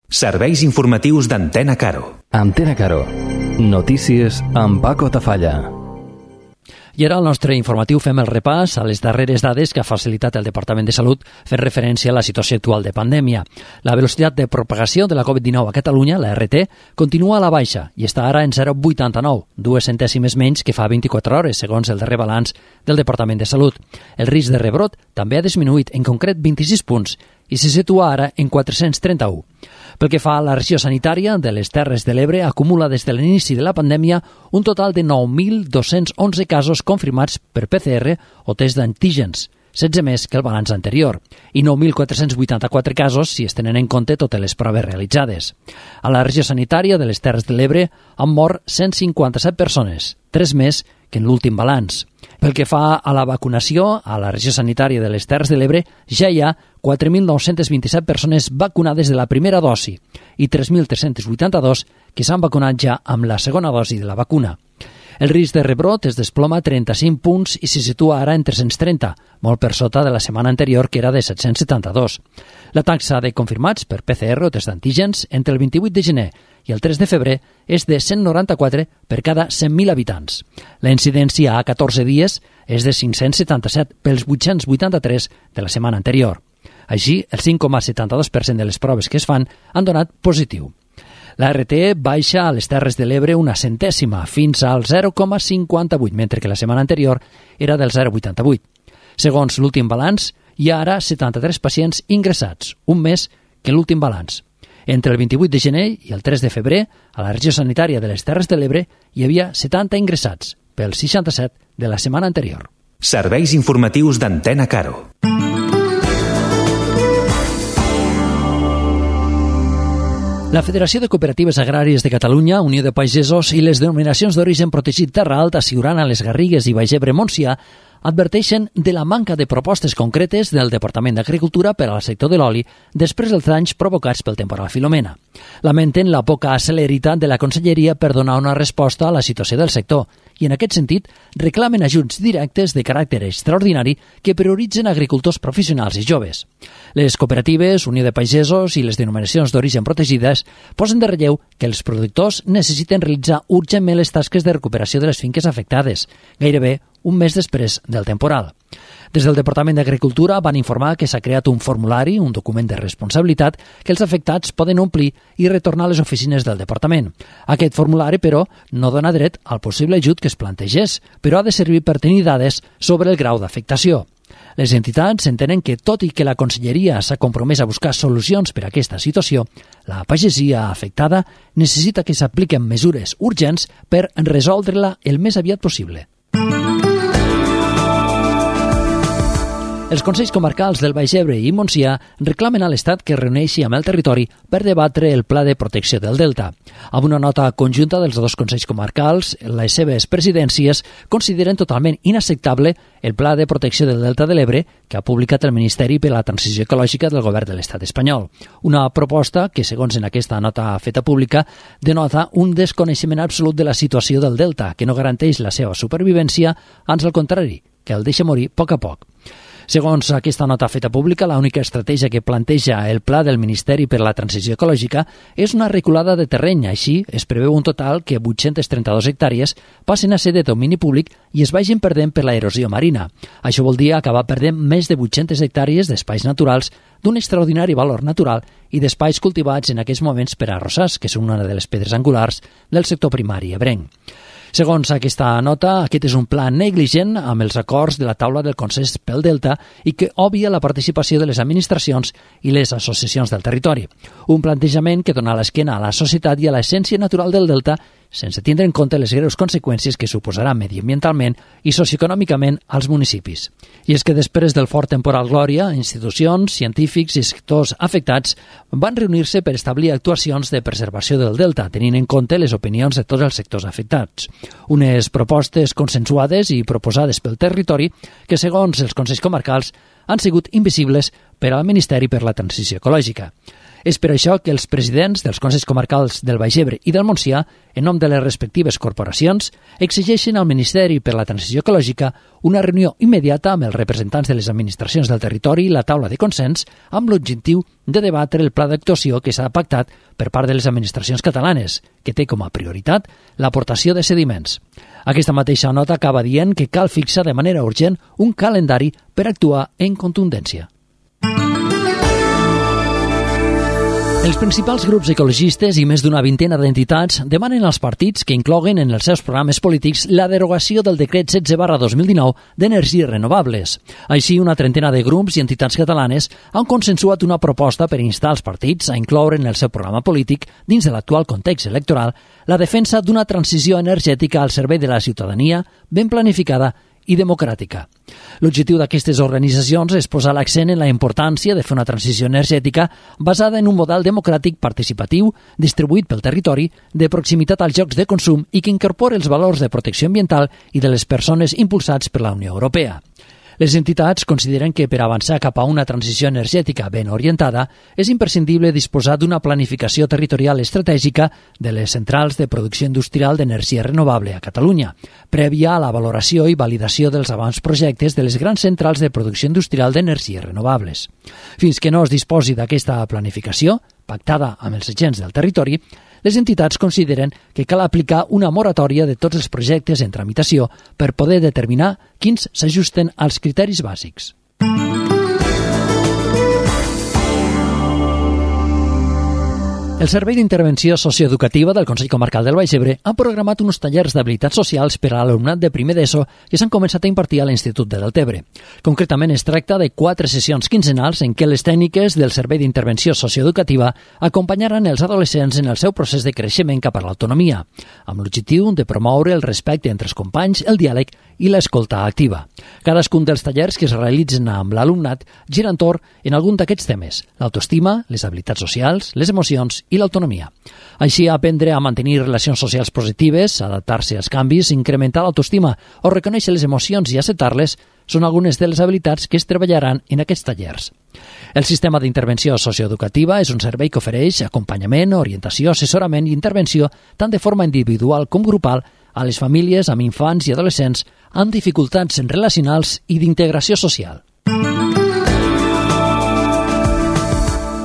Serveis informatius d'Antena Caro. Antena Caro. Notícies amb Paco Tafalla. I ara al nostre informatiu fem el repàs a les darreres dades que ha facilitat el Departament de Salut fent referència a la situació actual de pandèmia. La velocitat de propagació de la Covid-19 a Catalunya, la RT, continua a la baixa i està ara en 0,89, 2 centèsimes menys que fa 24 hores, segons el darrer balanç del Departament de Salut. El risc de rebrot també ha disminuït, en concret 26 punts, i se situa ara en 431. Pel que fa a la regió sanitària de les Terres de l'Ebre, acumula des de l'inici de la pandèmia un total de 9.211 casos confirmats per PCR o test d'antígens, 16 més que el balanç anterior, i 9.484 casos si es tenen en compte totes les proves realitzades. A la regió sanitària de les Terres de l'Ebre han mort 157 persones, 3 més que en l'últim balanç. Pel que fa a la vacunació, a la regió sanitària de les Terres de l'Ebre ja hi ha 4.927 persones vacunades de la primera dosi i 3.382 que s'han vacunat ja amb la segona dosi de la vacuna. El risc de rebrot es desploma 35 punts i se situa ara en 330, molt per sota de la setmana anterior, que era de 772. La taxa de confirmats per PCR o test d'antígens entre el 28 de gener i el 3 de febrer és de 194 per cada 100.000 habitants. La incidència a 14 dies és de 577 pels 883 de la setmana anterior. Així, el 5,72% de les proves que es fan han donat positiu. La RT baixa a les Terres de l'Ebre una centèsima, fins al 0,58, mentre que la setmana anterior era del 0,88. Segons l'últim balanç, hi ha ara 73 pacients ingressats, un més que l'últim balanç. Entre el 28 de gener i el 3 de febrer, a la regió sanitària de les Terres de l'Ebre hi havia 70 ingressats, pels 67 de la setmana anterior. Serveis informatius d'Antena Caro. La Federació de Cooperatives Agràries de Catalunya, Unió de Pagesos i les denominacions d'origen protegit Terra Alta, Siurana, Les Garrigues i Baix Ebre Montsià adverteixen de la manca de propostes concretes del Departament d'Agricultura per al sector de l'oli després dels danys provocats pel temporal Filomena. Lamenten la poca celeritat de la Conselleria per donar una resposta a la situació del sector i, en aquest sentit, reclamen ajuts directes de caràcter extraordinari que prioritzen agricultors professionals i joves. Les cooperatives, Unió de Pagesos i les denominacions d'origen protegides posen de relleu que els productors necessiten realitzar urgentment les tasques de recuperació de les finques afectades, gairebé un mes després del temporal. Des del Departament d'Agricultura van informar que s'ha creat un formulari, un document de responsabilitat, que els afectats poden omplir i retornar a les oficines del Departament. Aquest formulari, però, no dona dret al possible ajut que es plantegés, però ha de servir per tenir dades sobre el grau d'afectació. Les entitats entenen que, tot i que la Conselleria s'ha compromès a buscar solucions per a aquesta situació, la pagesia afectada necessita que s'apliquen mesures urgents per resoldre-la el més aviat possible. Els Consells Comarcals del Baix Ebre i Montsià reclamen a l'Estat que es reuneixi amb el territori per debatre el Pla de Protecció del Delta. Amb una nota conjunta dels dos Consells Comarcals, les seves presidències consideren totalment inacceptable el Pla de Protecció del Delta de l'Ebre que ha publicat el Ministeri per a la Transició Ecològica del Govern de l'Estat espanyol. Una proposta que, segons en aquesta nota feta pública, denota un desconeixement absolut de la situació del Delta, que no garanteix la seva supervivència, ans al contrari, que el deixa morir a poc. Segons aquesta nota feta pública, l'única estratègia que planteja el Pla del Ministeri per a la Transició Ecològica és una reculada de terreny. Així, es preveu un total que 832 hectàrees passen a ser de domini públic i es vagin perdent per la erosió marina. Això vol dir acabar perdent més de 800 hectàrees d'espais naturals d'un extraordinari valor natural i d'espais cultivats en aquests moments per arrossars, que són una de les pedres angulars del sector primari ebrenc. Segons aquesta nota, aquest és un pla negligent amb els acords de la taula del Consens pel Delta i que obvia la participació de les administracions i les associacions del territori. Un plantejament que dona l'esquena a la societat i a l'essència natural del Delta sense tindre en compte les greus conseqüències que suposarà mediambientalment i socioeconòmicament als municipis. I és que després del fort temporal Glòria, institucions, científics i sectors afectats van reunir-se per establir actuacions de preservació del Delta, tenint en compte les opinions de tots els sectors afectats. Unes propostes consensuades i proposades pel territori que, segons els Consells Comarcals, han sigut invisibles per al Ministeri per la Transició Ecològica. És per això que els presidents dels Consells Comarcals del Baix Ebre i del Montsià, en nom de les respectives corporacions, exigeixen al Ministeri per la Transició Ecològica una reunió immediata amb els representants de les administracions del territori i la taula de consens amb l'objectiu de debatre el pla d'actuació que s'ha pactat per part de les administracions catalanes, que té com a prioritat l'aportació de sediments. Aquesta mateixa nota acaba dient que cal fixar de manera urgent un calendari per actuar en contundència. Els principals grups ecologistes i més d'una vintena d'entitats demanen als partits que incloguen en els seus programes polítics la derogació del decret 16/2019 d'energies renovables. Així, una trentena de grups i entitats catalanes han consensuat una proposta per instar els partits a incloure en el seu programa polític, dins de l'actual context electoral, la defensa d'una transició energètica al servei de la ciutadania ben planificada i democràtica. L'objectiu d'aquestes organitzacions és posar l'accent en la importància de fer una transició energètica basada en un model democràtic participatiu, distribuït pel territori, de proximitat als llocs de consum i que incorpora els valors de protecció ambiental i de les persones impulsats per la Unió Europea. Les entitats consideren que per avançar cap a una transició energètica ben orientada és imprescindible disposar d'una planificació territorial estratègica de les centrals de producció industrial d'energia renovable a Catalunya, prèvia a la valoració i validació dels avantprojectes de les grans centrals de producció industrial d'energies renovables. Fins que no es disposi d'aquesta planificació, pactada amb els agents del territori, les entitats consideren que cal aplicar una moratòria de tots els projectes en tramitació per poder determinar quins s'ajusten als criteris bàsics. El Servei d'Intervenció Socioeducativa del Consell Comarcal del Baix Ebre ha programat uns tallers d'habilitats socials per a l'alumnat de primer d'ESO que s'han començat a impartir a l'Institut de Deltebre. Concretament, es tracta de 4 sessions quinzenals en què les tècniques del Servei d'Intervenció Socioeducativa acompanyaran els adolescents en el seu procés de creixement cap a l'autonomia, amb l'objectiu de promoure el respecte entre els companys, el diàleg i l'escolta activa. Cadascun dels tallers que es realitzen amb l'alumnat gira entorn en algun d'aquests temes: l'autoestima, les habilitats socials, les emocions i l'autonomia. Així, aprendre a mantenir relacions socials positives, adaptar-se als canvis, incrementar l'autoestima o reconèixer les emocions i acceptar-les són algunes de les habilitats que es treballaran en aquests tallers. El sistema d'intervenció socioeducativa és un servei que ofereix acompanyament, orientació, assessorament i intervenció tant de forma individual com grupal a les famílies amb infants i adolescents amb dificultats relacionals i d'integració social.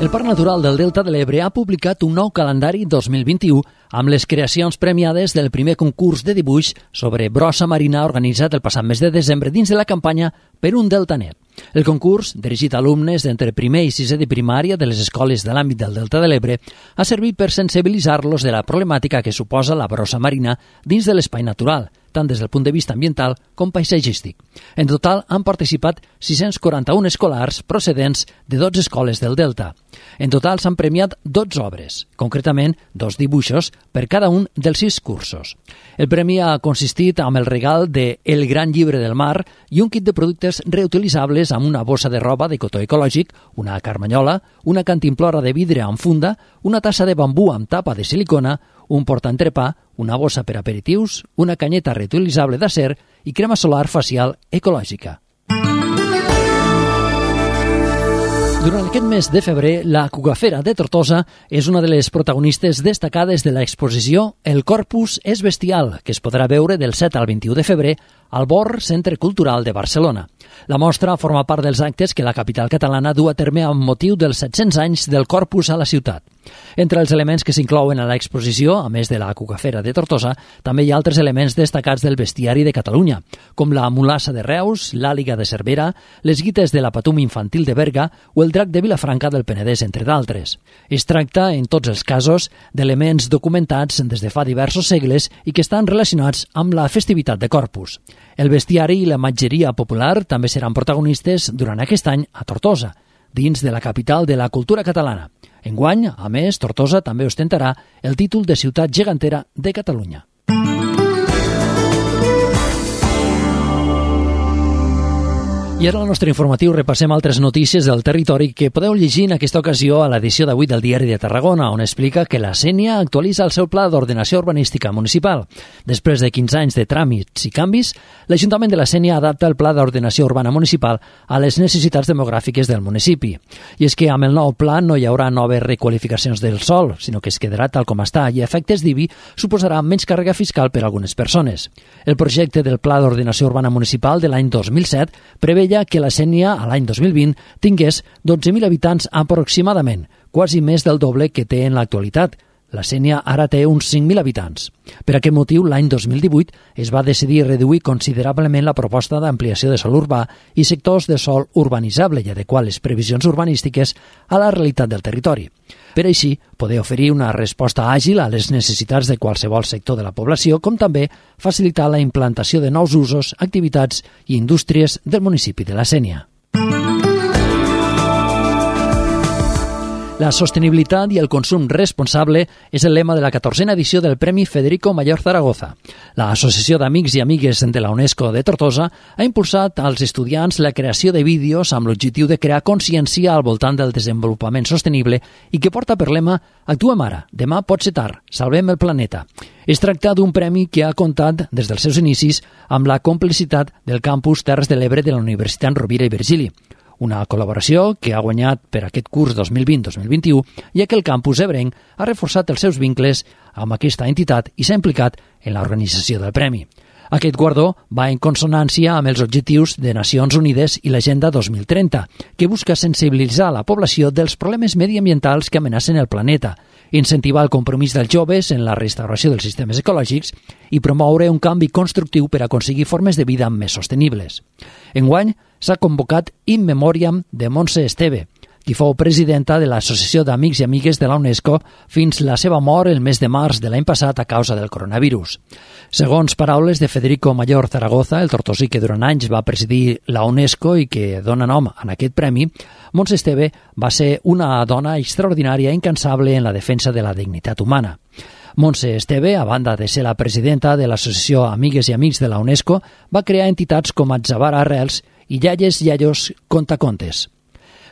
El Parc Natural del Delta de l'Ebre ha publicat un nou calendari 2021 amb les creacions premiades del primer concurs de dibuix sobre brossa marina organitzat el passat mes de desembre dins de la campanya Per un Delta Net. El concurs, dirigit a alumnes d'entre primer i sisè de primària de les escoles de l'àmbit del Delta de l'Ebre, ha servit per sensibilitzar-los de la problemàtica que suposa la brossa marina dins de l'espai natural, tant des del punt de vista ambiental com paisatgístic. En total han participat 641 escolars procedents de 12 escoles del Delta. En total s'han premiat 12 obres, concretament 2 dibuixos per cada un dels 6 cursos. El premi ha consistit amb el regal de El Gran Llibre del Mar i un kit de productes reutilitzables amb una bossa de roba de cotó ecològic, una carmanyola, una cantimplora de vidre amb funda, una tassa de bambú amb tapa de silicona, un portaentrepà, una bossa per aperitius, una canyeta reutilitzable d'acer i crema solar facial ecològica. Durant aquest mes de febrer, la Cucafera de Tortosa és una de les protagonistes destacades de l'exposició El Corpus és bestial, que es podrà veure del 7 al 21 de febrer al BOR Centre Cultural de Barcelona. La mostra forma part dels actes que la capital catalana du a terme amb motiu dels 700 anys del Corpus a la ciutat. Entre els elements que s'inclouen a l'exposició, a més de la Cucafera de Tortosa, també hi ha altres elements destacats del bestiari de Catalunya, com la mulassa de Reus, l'àliga de Cervera, les guites de la Patum infantil de Berga o el drac de Vilafranca del Penedès, entre d'altres. Es tracta, en tots els casos, d'elements documentats des de fa diversos segles i que estan relacionats amb la festivitat de Corpus. El bestiari i la imatgeria popular també seran protagonistes durant aquest any a Tortosa, dins de la capital de la cultura catalana. Enguany, a més, Tortosa també ostentarà el títol de ciutat gegantera de Catalunya. I ara al nostre informatiu repassem altres notícies del territori que podeu llegir en aquesta ocasió a l'edició d'avui del Diari de Tarragona, on explica que la Sénia actualitza el seu pla d'ordenació urbanística municipal. Després de 15 anys de tràmits i canvis, l'Ajuntament de la Sénia adapta el pla d'ordenació urbana municipal a les necessitats demogràfiques del municipi. I és que amb el nou pla no hi haurà noves requalificacions del sòl, sinó que es quedarà tal com està i a efectes d'IBI suposarà menys càrrega fiscal per a algunes persones. El projecte del pla d'ordenació urbana municipal de l'any 2007 preveia que la Sénia, a l'any 2020, tingués 12.000 habitants aproximadament, quasi més del doble que té en l'actualitat. La Sénia ara té uns 5.000 habitants. Per aquest motiu, l'any 2018 es va decidir reduir considerablement la proposta d'ampliació de sòl urbà i sectors de sòl urbanitzable i adequar les previsions urbanístiques a la realitat del territori. Per així, poder oferir una resposta àgil a les necessitats de qualsevol sector de la població, com també facilitar la implantació de nous usos, activitats i indústries del municipi de la Sénia. La sostenibilitat i el consum responsable és el lema de la 14a edició del Premi Federico Mayor Zaragoza. L'Associació d'Amics i Amigues de la UNESCO de Tortosa ha impulsat als estudiants la creació de vídeos amb l'objectiu de crear consciència al voltant del desenvolupament sostenible i que porta per lema «Actuem ara, demà pot ser tard, salvem el planeta». Es tracta d'un premi que ha comptat des dels seus inicis amb la complicitat del campus Terres de l'Ebre de la Universitat Rovira i Virgili. Una col·laboració que ha guanyat per aquest curs 2020-2021, ja que el campus ebrenc ha reforçat els seus vincles amb aquesta entitat i s'ha implicat en l'organització del premi. Aquest guardó va en consonància amb els objectius de Nacions Unides i l'Agenda 2030, que busca sensibilitzar la població dels problemes mediambientals que amenacen el planeta, incentivar el compromís dels joves en la restauració dels sistemes ecològics i promoure un canvi constructiu per aconseguir formes de vida més sostenibles. Enguany s'ha convocat In Memoriam de Montse Esteve, qui fou presidenta de l'Associació d'Amics i Amigues de la UNESCO fins la seva mort el mes de març de l'any passat a causa del coronavirus. Segons paraules de Federico Mayor Zaragoza, el tortosí que durant anys va presidir la UNESCO i que dona nom a aquest premi, Montse Esteve va ser una dona extraordinària i incansable en la defensa de la dignitat humana. Montse Esteve, a banda de ser la presidenta de l'Associació Amigues i Amics de la UNESCO, va crear entitats com Atzabar Arrels i Iaies Iaios Contacontes.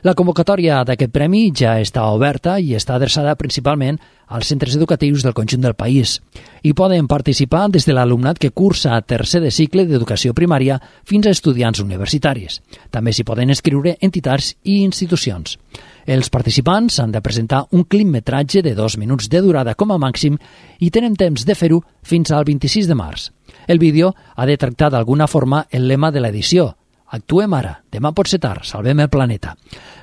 La convocatòria d'aquest premi ja està oberta i està adreçada principalment als centres educatius del conjunt del país. Hi poden participar des de l'alumnat que cursa tercer de cicle d'educació primària fins a estudiants universitaris. També s'hi poden inscriure entitats i institucions. Els participants han de presentar un clipmetratge de 2 minuts de durada com a màxim i tenen temps de fer-ho fins al 26 de març. El vídeo ha de tractar d'alguna forma el lema de l'edició: Actuem ara, demà pot ser tard, salvem el planeta.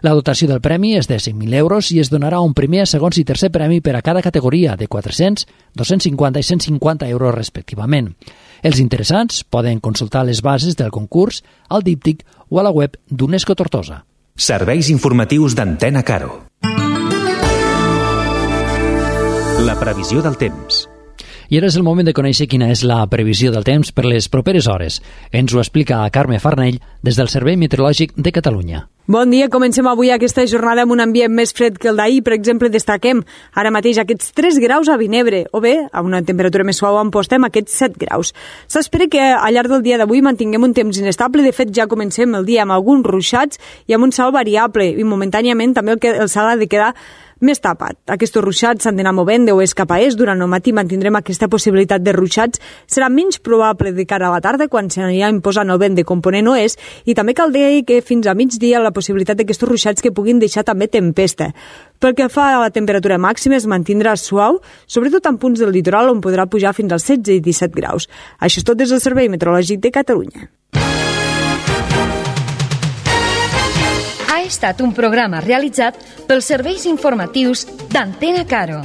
La dotació del premi és de 5.000 euros i es donarà un primer, segon i tercer premi per a cada categoria de 400, 250 i 150 euros respectivament. Els interessants poden consultar les bases del concurs al díptic o a la web d'UNESCO Tortosa. Serveis informatius d'Antena Caro. La previsió del temps. I ara és el moment de conèixer quina és la previsió del temps per les properes hores. Ens ho explica Carme Farnell des del Servei Meteorològic de Catalunya. Bon dia, comencem avui aquesta jornada amb un ambient més fred que el d'ahir. Per exemple, destaquem ara mateix aquests 3 graus a Vinebre, o bé, a una temperatura més suau a Amposta, amb aquests 7 graus. S'espera que al llarg del dia d'avui mantinguem un temps inestable. De fet, ja comencem el dia amb alguns ruixats i amb un cel variable, i momentàniament també el cel ha de quedar més tapat. Aquests ruixats s'han d'anar movent de oest cap a est. Durant el matí mantindrem aquesta possibilitat de ruixats. Serà menys probable de cara a la tarda, quan s'anirà imposant el vent de component oest, i també cal dir que fins a migdia la possibilitat d'aquests ruixats que puguin deixar també tempesta. Pel que fa a la temperatura màxima, es mantindrà suau, sobretot en punts del litoral on podrà pujar fins als 16 i 17 graus. Això és tot des del Servei Meteorològic de Catalunya. Ha estat un programa realitzat pels serveis informatius d'Antena Caro.